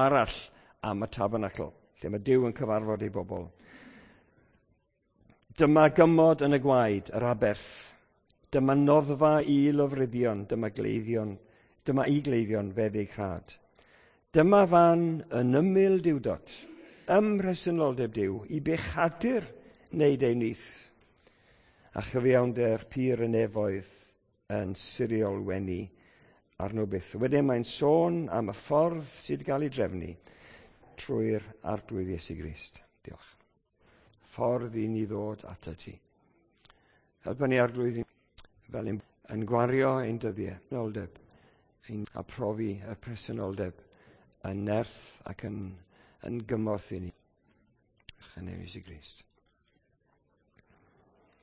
Arall am y tabernacl, lle mae Duw yn cyfarfod ei bobl. Dyma gymod yn y gwaed, yr aberth. Dyma noddfa i lofruddion, dyma gleifion, dyma i gleifion feddyg rhad. Dyma fan yn ymyl duwdod, ym mhresenoldeb Duw, i bechadur wneud ei nyth, a chyfiawnder pur y nefoedd yn siriol wenu arno byth. Wedyn mae'n sôn am y ffordd sydd wedi cael ei drefnu trwy'r Arglwydd Iesu Grist. Diolch. Ffordd i ni ddod atat ti. Helpa ni, Arglwydd, fel ein, yn gwario ein dyddiau, noldeb, ein, a profi y presenoldeb yn nerth ac yn, yn gymorth i ni. Yn Iesu Grist.